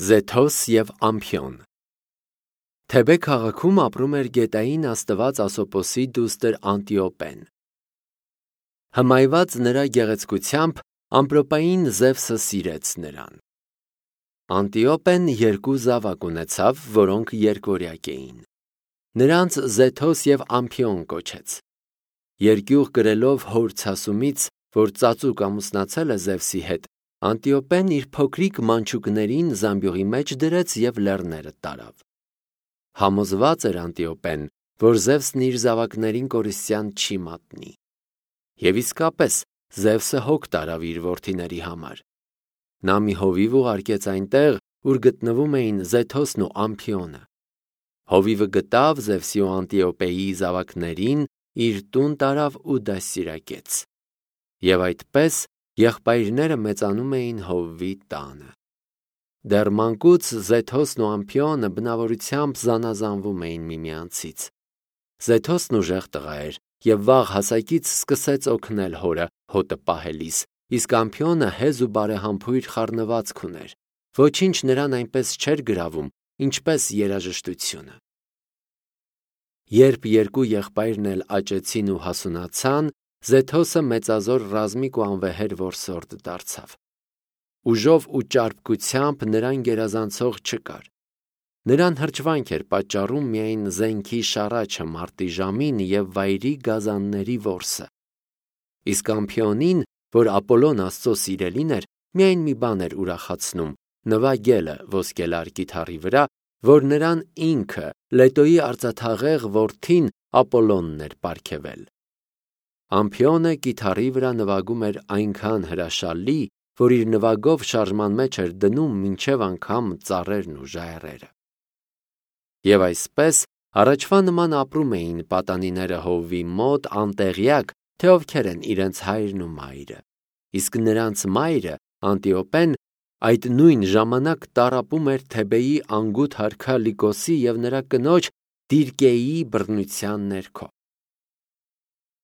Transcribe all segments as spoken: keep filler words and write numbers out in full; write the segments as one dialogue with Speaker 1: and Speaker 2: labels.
Speaker 1: Զեթոս և Ամփիոն Թեբե քաղաքում ապրում էր գետային աստված Ասոպոսի դուստր Անտիոպեն։ Հմայված նրա գեղեցկությամբ, ամպրոպային Զևսը սիրեց նրան։ Անտիոպեն երկու զավակ ունեցավ, որոնք երկորյակ էին։ Նրանց Զեթոս և Ամփիոն կոչեց։ Երկյուղ կրելով հոր ցասումից, որ ծածուկ ամուսնացել է Զևսի հետ, Անտիոպեն իր փոքրիկ մանչուկներին զամբյուղի մեջ դրեց և լեռները տարավ։ Համոզված էր Անտիոպեն, որ Զևսն իր զավակներին կորստյան չի մատնի։ Եվ իսկապես, Զևսը հոգ տարավ իր որդիների համար։ Նա մի հովիվ ուղարկեց այնտեղ, ուր գտնվում էին Զեթոսն ու Ամփիոնը։ Հովիվը գտավ Զևսի ու Անտիոպեի զավակներին, իր տուն տարավ ու դաստիարակեց։ Եվ այդպես եղբայրները մեծանում էին հովվի տանը։ Դեռ մանկուց Զեթոսն ու Ամփիոնը բնավորությամբ զանազանվում էին միմյանցից։ Զեթոսն ուժեղ տղա էր և վաղ հասակից սկսեց օգնել հորը հոտը պահելիս, իսկ Ամփիոնը հեզ ու բարեհամբույր խառնվածք ուներ, ոչինչ նրան այնպես չէր գրավում, ինչպես երաժշտությունը։ Երբ երկու եղբայրն էլ աճեցին ու հասունացան, Զեթոսը մեծազոր ռազմիկ ու անվեհեր որսորդ դարձավ։ Ուժով ու ճարպկությամբ նրան գերազանցող չկար։ Նրան հրճվանք էր պատճառում միայն զենքի շառաչը մարտի ժամին և վայրի գազանների որսը։ Իսկ Ամփիոնին, որ Ապոլոն Աստծո սիրելին էր, միայն մի բան էր ուրախացնում՝ նվագելը ոսկելար կիթառի վրա, որ նրան ինքը, Լետոյի արծաթաղեղ որդին, Ապոլոնն էր պարգևել։ Ամփիոնը կիթառի վրա նվագում էր այնքան հրաշալի, որ իր նվագով շարժման մեջ էր դնում մինչև անգամ ծառերն ու ժայռերը։ Եվ այսպես, առաջվա նման ապրում էին պատանիները հովվի մոտ անտեղյակ, թե ովքեր են իրենց հայրն ու մայրը, իսկ նրանց մայրը, Անտիոպեն, այդ նույն ժամանակ տառապում էր Թեբեի անգութ արքա Լիկոսի և նրա կնոջ Դիրկեիի բռնության ներքո։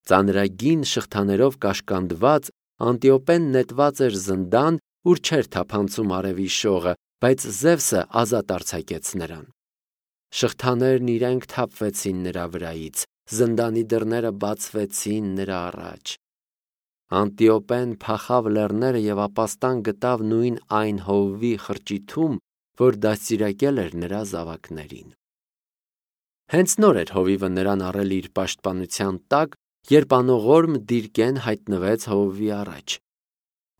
Speaker 1: Ծանրագին շղթաներով կաշկանդված, Անտիոպեն նետված էր զնդան, ուր չէր թափանցում արևի շողը, բայց Զևսը ազատ արձակեց նրան։ Շղթաներն իրենք թափվեցին նրա վրայից, զնդանի դռները բացվեցին նրա առաջ։ Անտիոպեն փախավ լեռները և ապաստան գտավ նույն այն հովվի խրճիթում, որ դաստիարակել էր նրա զավակներին։ Հենց նոր էր հովիվը նրան առել իր պաշտպանության տակ, երբ անողորմ Դիրկեն հայտնվեց հովվի առաջ։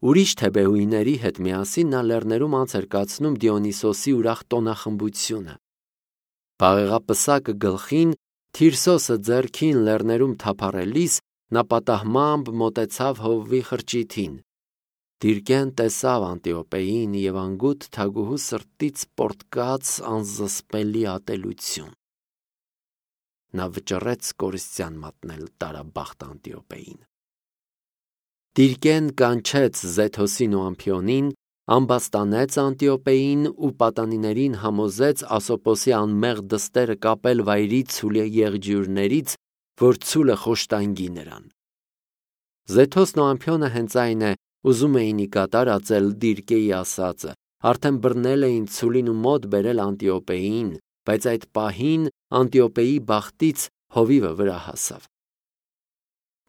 Speaker 1: Ուրիշ թեբեուհիների հետ միասին նա լեռներում անց էր կացնում Դիոնիսոսի ուրախ տոնախմբությունը։ Բաղեղապսակը գլխին, Թիրսոսը ձեռքին լեռներում թափառելիս, նա պատահմամբ մոտեցավ հովվի խրճիթին։ Դիրկեն տեսավ Անտիոպեին և անգութ թագուհու սրտից պոռթկաց անզսպելի ատելություն։ Նա վճռեց կորստյան մատնել տարաբախտ Անտիոպեին։ Դիրկեն կանչեց Զեթոսին ու Ամփիոնին, ամբաստանեց Անտիոպեին ու պատանիներին համոզեց Ասոպոսի անմեղ դստերը կապել վայրի ցուլի եղջյուրներից, որ ցուլը խոշտանգի նրան։ Զեթոսն ու Ամփիոնը հենց այն է, ուզում էին ի կատար ածել Դիրկեի ասածը, արդեն բռնել էին ցուլին ու մոտ բերել Անտիոպեին, բայց այդ պահին Անտիոպեի բախտից հովիվը վրա հասավ։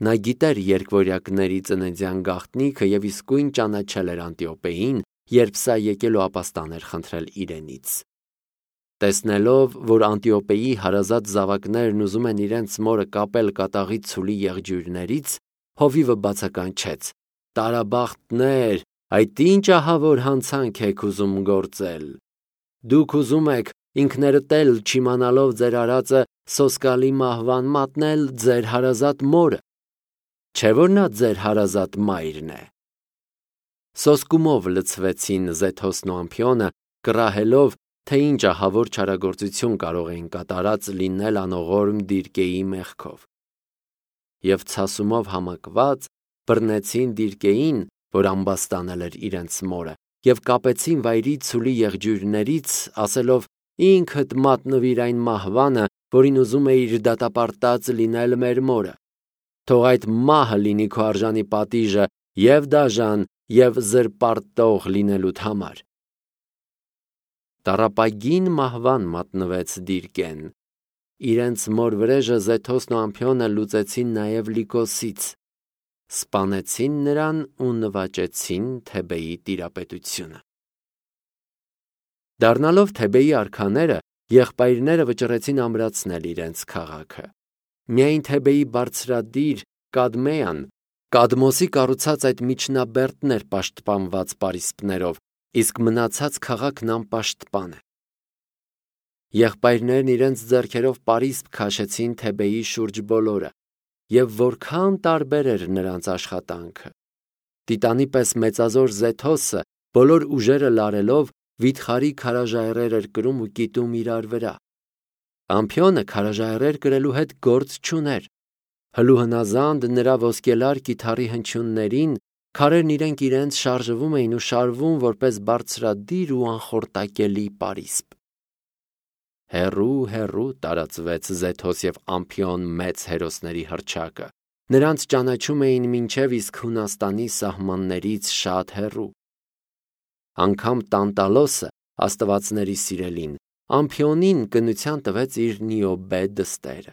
Speaker 1: Նա գիտեր երկվորյակների ծննդյան գաղտնիքը և իսկույն ճանաչել էր Անտիոպեին, երբ սա եկել ու ապաստան էր խնդրել իրենից։ Տեսնելով, որ Անտիոպեի հարազատ զավակներն ուզում են իրենց մորը կապել կատաղի ցուլի եղջյուրներից, հովիվը բացականչեց. «Տարաբախտներ, այդ ի՞նչ ահավոր հանցանք եք ուզում գործել։ Դուք ուզում եք ինքներդ էլ չիմանալով ձեր արածը սոսկալի մահվան մատնել ձեր հարազատ մորը, չէ՞ որ նա ձեր հարազատ մայրն է»։ Սոսկումով լցվեցին Զեթոսն ու Ամփիոնը, կռահելով, թե ինչ ահավոր չարագործություն կարող էին կատարած լինել անողորմ Դիրկեի մեղքով։ Եվ ցասումով համակված բռնեցին Դիրկեին, որ ամբաստանել էր իրենց մորը, և կապեցին վայրի ցուլի եղջյուրներից, ասելով. «Ինքդ մատնվիր այն մահվանը, որին ուզում էիր դատապարտած լինել մեր մորը։ Թող այդ մահը լինի քո արժանի պատիժը և դաժան, և զրպարտող լինելուդ համար»։ տառապագին մահվան մատնվեց Դիրկեն։ Իրենց մոր վրեժը Զեթոսն ու Ամփիոնը լուծեցին նաև Լիկոսից, սպանեցին նրան ու նվաճեցին Թեբեի տիրապետությունը։ Դառնալով Թեբեի արքաները, եղբայրները վճռեցին ամրացնել իրենց քաղաքը։ Միայն Թեբեի բարձրադիր Կադմեան Կադմոսի կառուցած այդ միջնաբերդն էր պաշտպանված պարիսպներով, իսկ մնացած քաղաքն անպաշտպան է։ Եղբայրներն իրենց ձեռքերով պարիսպ քաշեցին Թեբեի շուրջ բոլորը, եւ որքան տարբեր էր նրանց աշխատանքը։ Տիտանի պես մեծազոր Զեթոսը բոլոր ուժերը լարելով վիթխարի քարաժայռեր էր կրում ու կիտում իրար վրա։ Ամփիոնը քարաժայռեր կրելու հետ գործ չուներ։ Հլուհնազանդ նրա ոսկելար կիթառի հնչյուններին քարերն իրենք իրենց շարժվում էին ու շարվում որպես բարձրադիր ու անխորտակելի պարիսպ։ Հեռու հեռու տարածվեց Զեթոս եւ Ամփիոն մեծ հերոսների հռչակը։ Նրանց ճանաչում էին մինչև իսկ Հունաստանի սահմաններից շատ հեռու։ Անգամ Տանտալոսը, աստվածների սիրելին, Ամփիոնին կնության տվեց իր Նիոբե դստերը։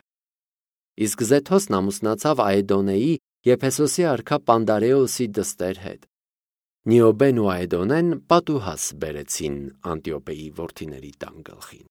Speaker 1: Իսկ Զեթոսն ամուսնացավ Աեդոնեի Եփեսոսի արքա Պանդարեոսի դստեր հետ։ Նիոբեն ու Աեդոնեն պատուհաս բերեցին Անտիոպեի որդիների տան գլխին։